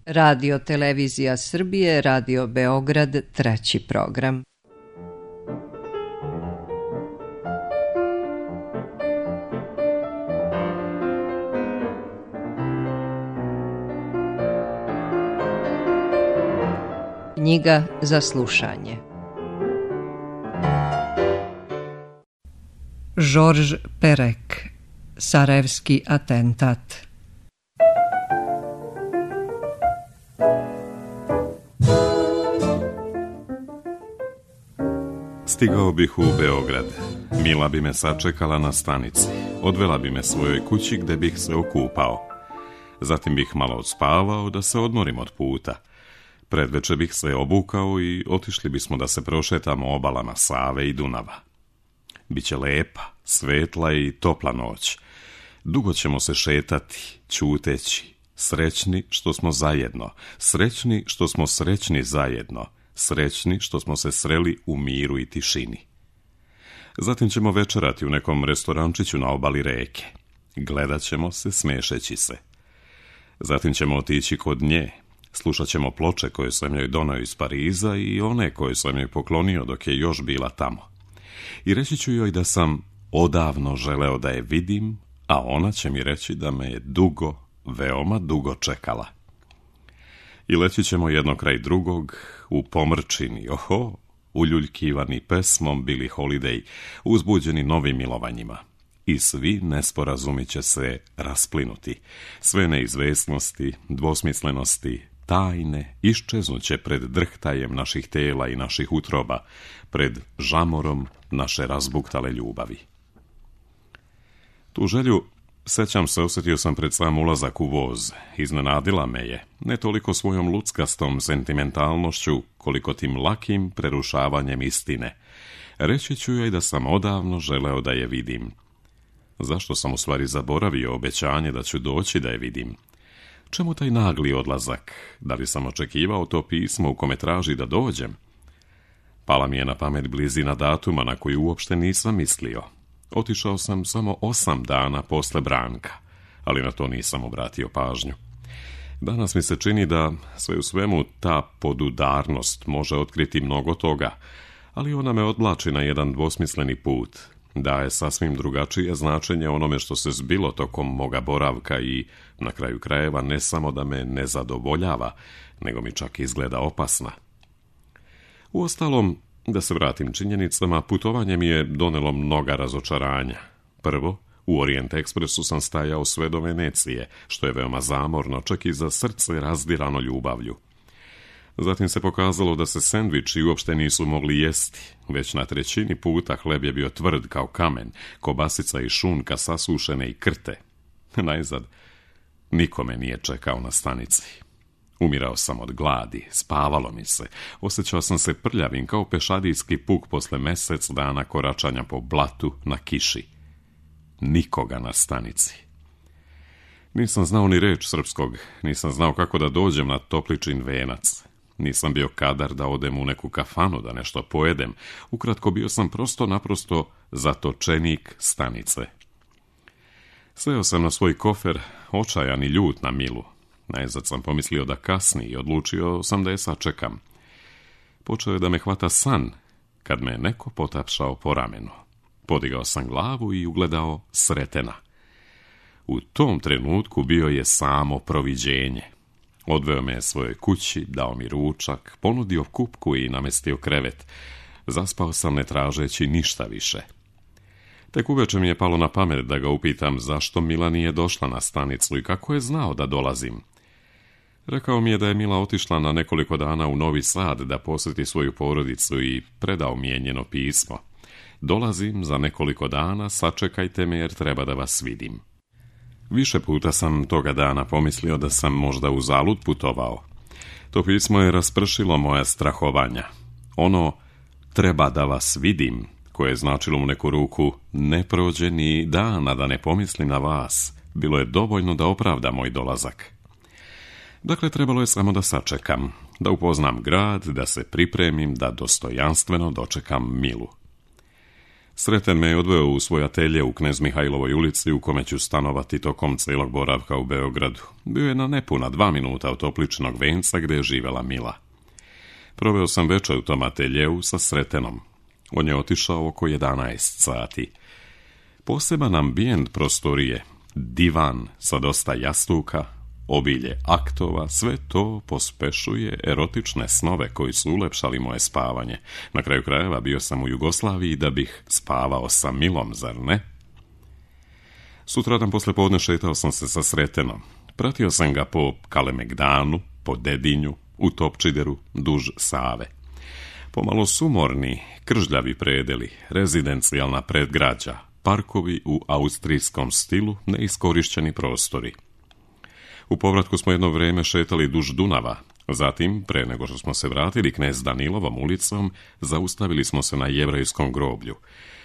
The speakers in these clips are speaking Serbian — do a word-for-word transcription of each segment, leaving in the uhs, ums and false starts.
Radio Televizija Srbije, Radio Beograd, treći program. Knjiga za slušanje. Georges Perec, Sarajevski atentat. Stigao bih u Beograd. Mila bi me sačekala na stanici. Odvela bi me svojoj kući gde bih se okupao. Zatim bih malo odspavao da se odmorim od puta. Predveče bih se obukao i otišli bismo da se prošetamo obalama Save i Dunava. Biće lepa, svetla i topla noć. Dugo ćemo se šetati, ćuteći, srećni što smo zajedno, srećni što smo srećni zajedno, srećni što smo se sreli u miru i tišini. Zatim ćemo večerati u nekom restorančiću na obali reke. Gledat ćemo se smešeći se. Zatim ćemo otići kod nje. Slušat ćemo ploče koje sam joj doneo iz Pariza i one koje sam joj poklonio dok je još bila tamo. I reći ću joj da sam odavno želeo da je vidim, a ona će mi reći da me je dugo, veoma dugo čekala. I leći ćemo jedno kraj drugog, u pomrčini, oho, uljuljkivani pesmom Billie Holiday, uzbuđeni novim milovanjima. I svi nesporazumi će se rasplinuti. Sve neizvesnosti, dvosmislenosti, tajne iščeznuće pred drhtajem naših tela i naših utroba, pred žamorom naše razbuktale ljubavi. Tu želju, sećam se, osjetio sam pred sam ulazak u voz. Iznenadila me je, ne toliko svojom luckastom sentimentalnošću, koliko tim lakim prerušavanjem istine. Reći ću joj da sam odavno želeo da je vidim. Zašto sam u stvari zaboravio obećanje da ću doći da je vidim? Čemu taj nagli odlazak? Da li sam očekivao to pismo u kome traži da dođem? Pala mi je na pamet blizina datuma na koju uopšte nisam mislio. Otišao sam samo osam dana posle Branka, ali na to nisam obratio pažnju. Danas mi se čini da sve u svemu ta podudarnost može otkriti mnogo toga, ali ona me odvlači na jedan dvosmisleni put. Daje sasvim drugačije značenje onome što se zbilo tokom moga boravka i, na kraju krajeva, ne samo da me ne zadovoljava, nego mi čak izgleda opasna. Uostalom, da se vratim činjenicama, putovanje mi je donelo mnoga razočaranja. Prvo, u Orient Ekspresu sam stajao sve do Venecije, što je veoma zamorno, čak i za srce razdirano ljubavlju. Zatim se pokazalo da se sendviči uopšte nisu mogli jesti. Već na trećini puta hleb je bio tvrd kao kamen, kobasica i šunka sasušene i krte. Najzad, niko me nije čekao na stanici. Umirao sam od gladi, spavalo mi se, osjećao sam se prljavim kao pešadijski puk posle mesec dana koračanja po blatu na kiši. Nikoga na stanici. Nisam znao ni reč srpskog, nisam znao kako da dođem na Topličin venac. Nisam bio kadar da odem u neku kafanu da nešto pojedem. Ukratko, bio sam prosto naprosto zatočenik stanice. Seo sam na svoj kofer, očajan i ljut na Milu. Najzad sam pomislio da kasni i odlučio sam da je sačekam. Počeo je da me hvata san, kad me neko potapšao po ramenu. Podigao sam glavu i ugledao Sretena. U tom trenutku bio je samo proviđenje. Odveo me svojoj kući, dao mi ručak, ponudio kupku i namestio krevet. Zaspao sam ne tražeći ništa više. Tek uveče mi je palo na pamet da ga upitam zašto Mila nije došla na stanicu i kako je znao da dolazim. Rekao mi je da je Mila otišla na nekoliko dana u Novi Sad da posjeti svoju porodicu i predao mi je njeno pismo. Dolazim za nekoliko dana, sačekajte me jer treba da vas vidim. Više puta sam toga dana pomislio da sam možda uzalud putovao. To pismo je raspršilo moja strahovanja. Ono, treba da vas vidim, koje je značilo u neku ruku, ne prođe ni dana da ne pomislim na vas, bilo je dovoljno da opravda moj dolazak. Dakle, trebalo je samo da sačekam, da upoznam grad, da se pripremim, da dostojanstveno dočekam Milu. Sreten me je odveo u svoj atelje u Knez Mihajlovoj ulici, u kome ću stanovati tokom cijelog boravka u Beogradu. Bio je na nepuna dva minuta od Topličinog venca gdje je živjela Mila. Proveo sam večer u tom ateljeu sa Sretenom. On je otišao oko jedanaest sati. Poseban ambijent prostorije, divan sa dosta jastuka, obilje aktova, sve to pospešuje erotične snove koji su ulepšali moje spavanje. Na kraju krajeva bio sam u Jugoslaviji da bih spavao sa Milom, zar ne? Sutradan posle podne šetao sam se sa Sretenom. Pratio sam ga po Kalemegdanu, po Dedinju, u Topčideru, duž Save. Pomalo sumorni, kržljavi predeli, rezidencijalna predgrađa, parkovi u austrijskom stilu, neiskorišćeni prostori. U povratku smo jedno vrijeme šetali duž Dunava. Zatim, pre nego što smo se vratili Knez Danilovom ulicom, zaustavili smo se na Jevrejskom groblju.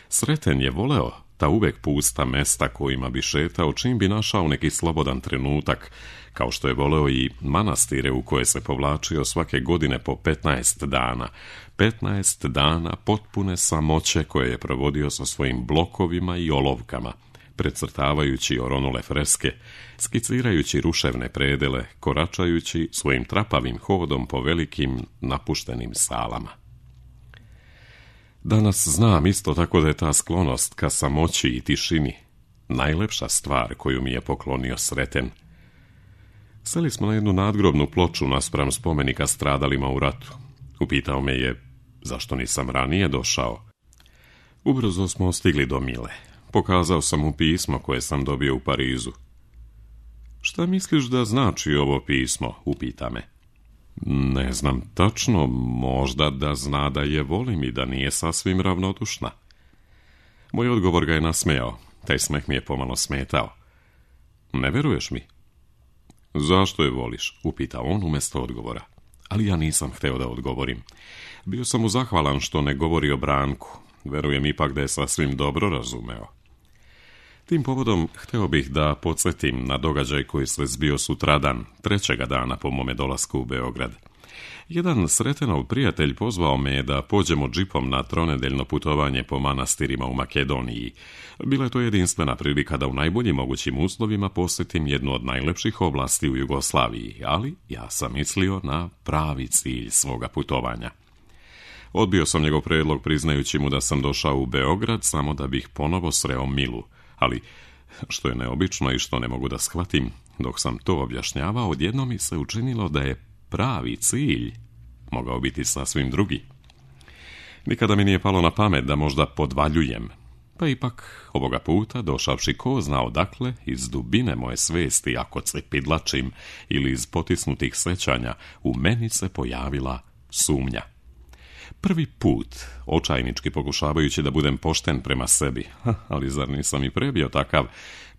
Sreten je voleo ta uvek pusta mesta kojima bi šetao čim bi našao neki slobodan trenutak, kao što je voleo i manastire u koje se povlačio svake godine po petnaest dana. petnaest dana potpune samoće koje je provodio sa svojim blokovima i olovkama, precrtavajući oronule freske, skicirajući ruševne predele, koračajući svojim trapavim hodom po velikim napuštenim salama. Danas znam isto tako da je ta sklonost ka samoći i tišini najlepša stvar koju mi je poklonio Sreten. Seli smo na jednu nadgrobnu ploču naspram spomenika stradalima u ratu. Upitao me je zašto nisam ranije došao. Ubrzo smo stigli do Mile. Pokazao sam mu pismo koje sam dobio u Parizu. Šta misliš da znači ovo pismo? Upita me. Ne znam tačno, možda da zna da je volim i da nije sasvim ravnodušna. Moj odgovor ga je nasmejao, taj smeh mi je pomalo smetao. Ne veruješ mi? Zašto je voliš? Upita on umjesto odgovora. Ali ja nisam hteo da odgovorim. Bio sam mu zahvalan što ne govori o Branku. Verujem ipak da je sasvim dobro razumeo. Tim povodom hteo bih da podsjetim na događaj koji se zbio sutradan, trećega dana po mome dolasku u Beograd. Jedan Sretenov prijatelj pozvao me da pođemo džipom na tronedeljno putovanje po manastirima u Makedoniji. Bila je to jedinstvena prilika da u najboljim mogućim uslovima posjetim jednu od najlepših oblasti u Jugoslaviji, ali ja sam mislio na pravi cilj svoga putovanja. Odbio sam njegov predlog priznajući mu da sam došao u Beograd samo da bih ponovo sreo Milu, ali što je neobično i što ne mogu da shvatim, dok sam to objašnjavao, odjednom mi se učinilo da je pravi cilj mogao biti sasvim drugi. Nikada mi nije palo na pamet da možda podvaljujem, pa ipak ovoga puta, došavši ko zna odakle, iz dubine moje svesti, ako cepidlačim ili iz potisnutih sećanja, u meni se pojavila sumnja. Prvi put, očajnički pokušavajući da budem pošten prema sebi, ali zar nisam i pre bio takav,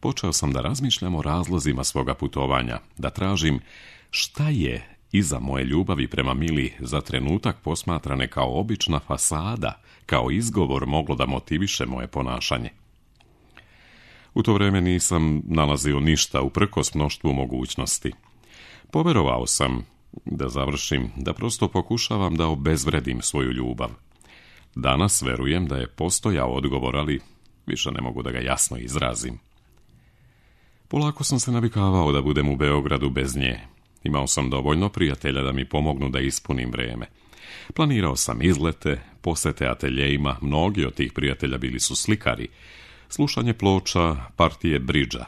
počeo sam da razmišljam o razlozima svoga putovanja, da tražim šta je iza moje ljubavi prema Mili za trenutak posmatrane kao obična fasada, kao izgovor moglo da motiviše moje ponašanje. U to vrijeme nisam nalazio ništa uprkos mnoštvu mogućnosti. Poverovao sam, da završim, da prosto pokušavam da obezvredim svoju ljubav. Danas verujem da je postojao odgovor, ali više ne mogu da ga jasno izrazim. Polako sam se navikavao da budem u Beogradu bez nje. Imao sam dovoljno prijatelja da mi pomognu da ispunim vreme. Planirao sam izlete, posete ateljejima, mnogi od tih prijatelja bili su slikari, slušanje ploča, partije bridža.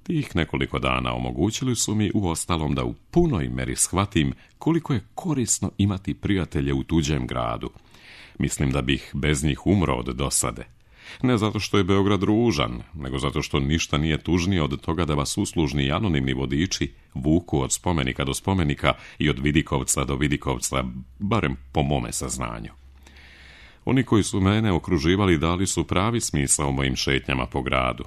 Tih nekoliko dana omogućili su mi uostalom da u punoj meri shvatim koliko je korisno imati prijatelje u tuđem gradu. Mislim da bih bez njih umro od dosade. Ne zato što je Beograd ružan, nego zato što ništa nije tužnije od toga da vas uslužni i anonimni vodiči vuku od spomenika do spomenika i od Vidikovca do Vidikovca, barem po mome saznanju. Oni koji su mene okruživali dali su pravi smisao mojim šetnjama po gradu.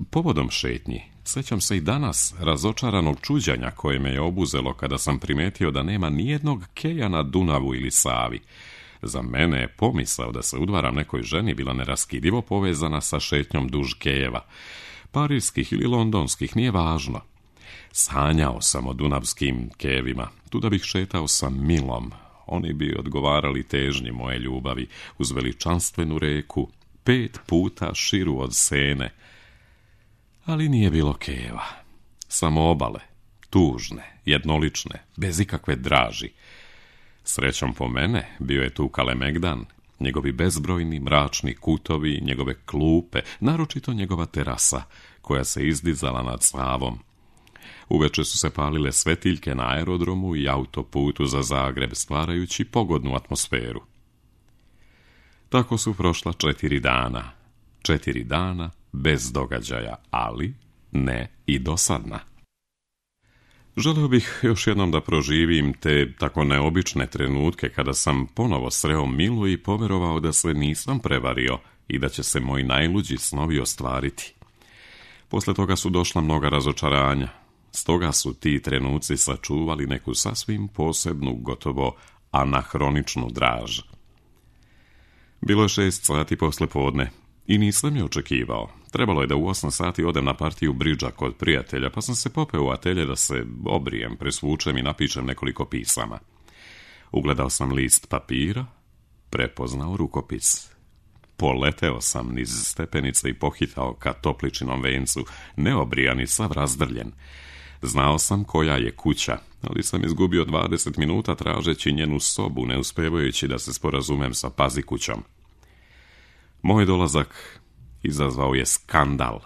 Povodom šetnji, sećam se i danas razočaranog čuđanja koje me je obuzelo kada sam primetio da nema nijednog keja na Dunavu ili Savi. Za mene je pomisao da se udvaram nekoj ženi bila neraskidivo povezana sa šetnjom duž kejeva. Parijskih ili londonskih, nije važno. Sanjao sam o dunavskim kejevima, tu da bih šetao sa Milom. Oni bi odgovarali težnji moje ljubavi uz veličanstvenu reku, pet puta širu od Sene. Ali nije bilo keva. Samo obale, tužne, jednolične, bez ikakve draži. Srećom po mene, bio je tu Kalemegdan, njegovi bezbrojni mračni kutovi, njegove klupe, naročito njegova terasa, koja se izdizala nad Savom. Uveče su se palile svetiljke na aerodromu i autoputu za Zagreb, stvarajući pogodnu atmosferu. Tako su prošla četiri dana. Četiri dana bez događaja, ali ne i dosadna. Želeo bih još jednom da proživim te tako neobične trenutke kada sam ponovo sreo Milu i poverovao da se nisam prevario i da će se moji najluđi snovi ostvariti. Posle toga su došla mnoga razočaranja. Stoga su ti trenuci sačuvali neku sasvim posebnu, gotovo anahroničnu draž. Bilo je šest sati posle podne i nisam je očekivao. Trebalo je da u osam sati odem na partiju bridža kod prijatelja, pa sam se popeo u atelje da se obrijem, presvučem i napišem nekoliko pisama. Ugledao sam list papira, prepoznao rukopis. Poleteo sam niz stepenice i pohitao ka topličinom vencu, neobrijan i sav razdrljen. Znao sam koja je kuća, ali sam izgubio dvadeset minuta tražeći njenu sobu, ne uspevajući da se sporazumem sa pazikućom. Moj dolazak izazvao je skandal.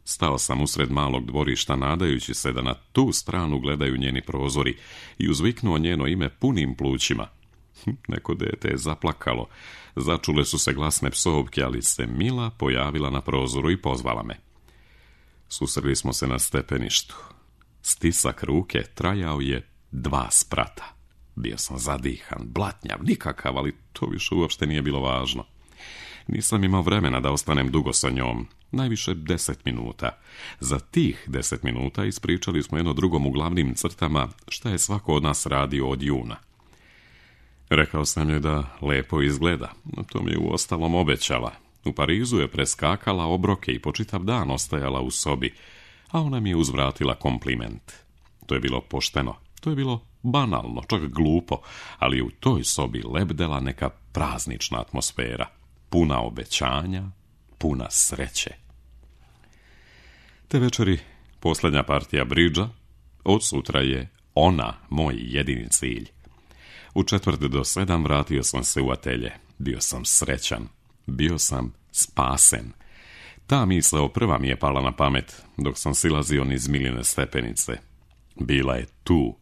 Stao sam usred malog dvorišta, nadajući se da na tu stranu gledaju njeni prozori, i uzviknuo njeno ime punim plućima. Neko dete je zaplakalo. Začule su se glasne psovke, ali se Mila pojavila na prozoru i pozvala me. Susreli smo se na stepeništu. Stisak ruke trajao je dva sprata. Bio sam zadihan, blatnjav, nikakav, ali to više uopšte nije bilo važno. Nisam imao vremena da ostanem dugo sa njom, najviše deset minuta. Za tih deset minuta ispričali smo jedno drugom u glavnim crtama šta je svako od nas radio od juna. Rekao sam joj da lepo izgleda, no to mi je uostalom obećala. U Parizu je preskakala obroke i po čitav dan ostajala u sobi, a ona mi je uzvratila kompliment. To je bilo pošteno, to je bilo banalno, čak glupo, ali u toj sobi lebdela neka praznična atmosfera, puna obećanja, puna sreće. Te večeri, posljednja partija bridža, od sutra je ona moj jedini cilj. U četvrt do sedam vratio sam se u atelje. Bio sam srećan, bio sam spasen. Ta misao prva mi je pala na pamet dok sam silazio niz Miline stepenice. Bila je tu,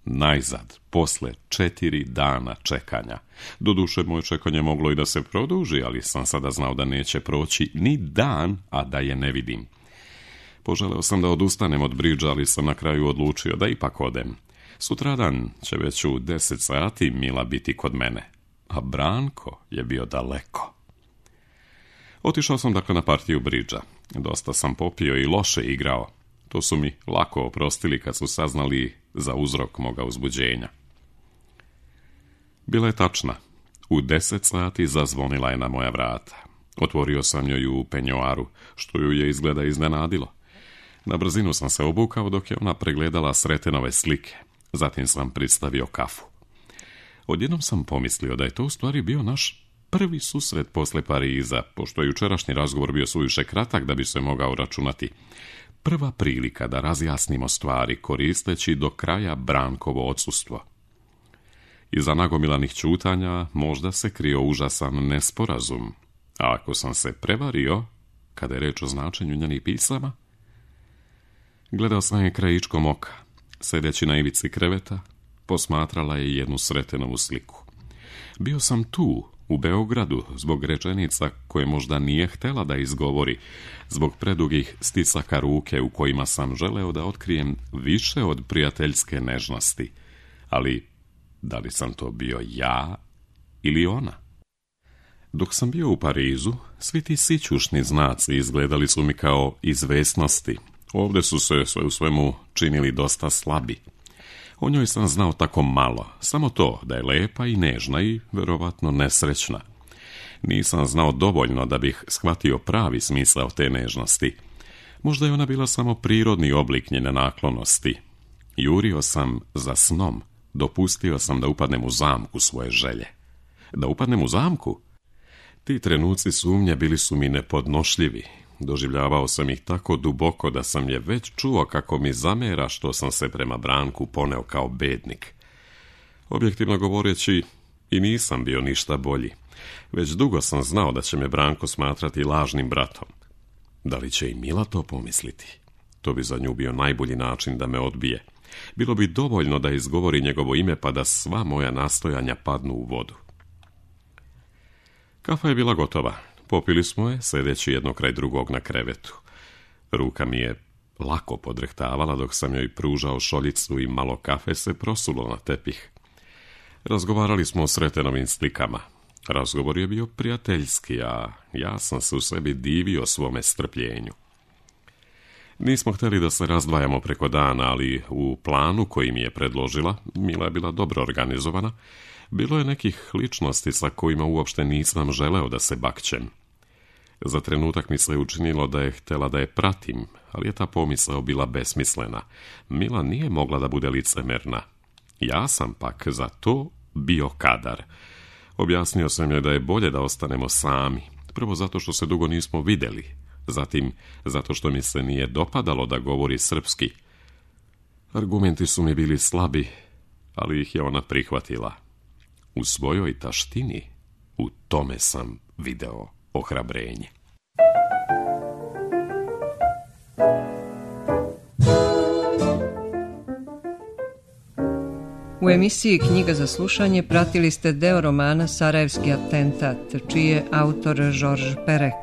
najzad, posle četiri dana čekanja. Doduše, moje čekanje moglo i da se produži, ali sam sada znao da neće proći ni dan, a da je ne vidim. Poželeo sam da odustanem od bridža, ali sam na kraju odlučio da ipak odem. Sutradan će već u deset sati Mila biti kod mene, a Branko je bio daleko. Otišao sam dakle na partiju bridža. Dosta sam popio i loše igrao. To su mi lako oprostili kad su saznali za uzrok moga uzbuđenja. Bila je tačna. U deset sati zazvonila je na moja vrata. Otvorio sam joj u penjoaru, što ju je izgleda iznenadilo. Na brzinu sam se obukao dok je ona pregledala Sretenove slike. Zatim sam pristavio kafu. Odjednom sam pomislio da je to u stvari bio naš prvi susret posle Pariza, pošto je jučerašnji razgovor bio suviše kratak da bi se mogao računati. Prva prilika da razjasnimo stvari koristeći do kraja Brankovo odsustvo. Iza nagomilanih ćutanja možda se krio užasan nesporazum, a ako sam se prevario, kada je reč o značenju njenih pisama, gledao sam je krajičkom oka. Sedeći na ivici kreveta, posmatrala je jednu Sretenovu sliku. Bio sam tu, u Beogradu, zbog rečenica koje možda nije htela da izgovori, zbog predugih sticaka ruke u kojima sam želeo da otkrijem više od prijateljske nežnosti. Ali, da li sam to bio ja ili ona? Dok sam bio u Parizu, svi ti sićušni znaci izgledali su mi kao izvesnosti. Ovdje su se sve u svemu činili dosta slabi. O njoj sam znao tako malo, samo to da je lepa i nežna i verovatno nesrećna. Nisam znao dovoljno da bih shvatio pravi smisao te nežnosti. Možda je ona bila samo prirodni oblik njene naklonosti. Jurio sam za snom, dopustio sam da upadnem u zamku svoje želje. Da upadnem u zamku? Ti trenuci sumnje bili su mi nepodnošljivi. Doživljavao sam ih tako duboko da sam je već čuo kako mi zamera što sam se prema Branku poneo kao bednik. Objektivno govoreći, i nisam bio ništa bolji. Već dugo sam znao da će me Branko smatrati lažnim bratom. Da li će i Mila to pomisliti? To bi za nju bio najbolji način da me odbije. Bilo bi dovoljno da izgovori njegovo ime pa da sva moja nastojanja padnu u vodu. Kafa je bila gotova. Popili smo je, sedeći jedno kraj drugog na krevetu. Ruka mi je lako podrehtavala dok sam joj pružao šoljicu i malo kafe se prosulo na tepih. Razgovarali smo o Sretenovim slikama. Razgovor je bio prijateljski, a ja sam se u sebi divio svome strpljenju. Nismo htjeli da se razdvajamo preko dana, ali u planu koji mi je predložila, Mila je bila dobro organizovana, bilo je nekih ličnosti sa kojima uopšte nisam želeo da se bakćem. Za trenutak mi se učinilo da je htjela da je pratim, ali je ta pomisao bila besmislena. Mila nije mogla da bude licemerna. Ja sam pak za to bio kadar. Objasnio sam joj da je bolje da ostanemo sami. Prvo zato što se dugo nismo vidjeli. Zatim zato što mi se nije dopadalo da govori srpski. Argumenti su mi bili slabi, ali ih je ona prihvatila. U svojoj taštini, u tome sam video ohrabrenje. U emisiji Knjiga za slušanje pratili ste deo romana Sarajevski atentat, čiji je autor Georges Perec.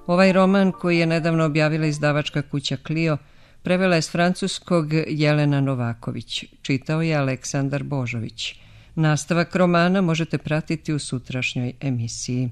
Ovaj roman, koji je nedavno objavila izdavačka kuća Clio, prevela je s francuskog Jelena Novaković. Čitao je Aleksandar Božović. Nastavak romana možete pratiti u sutrašnjoj emisiji.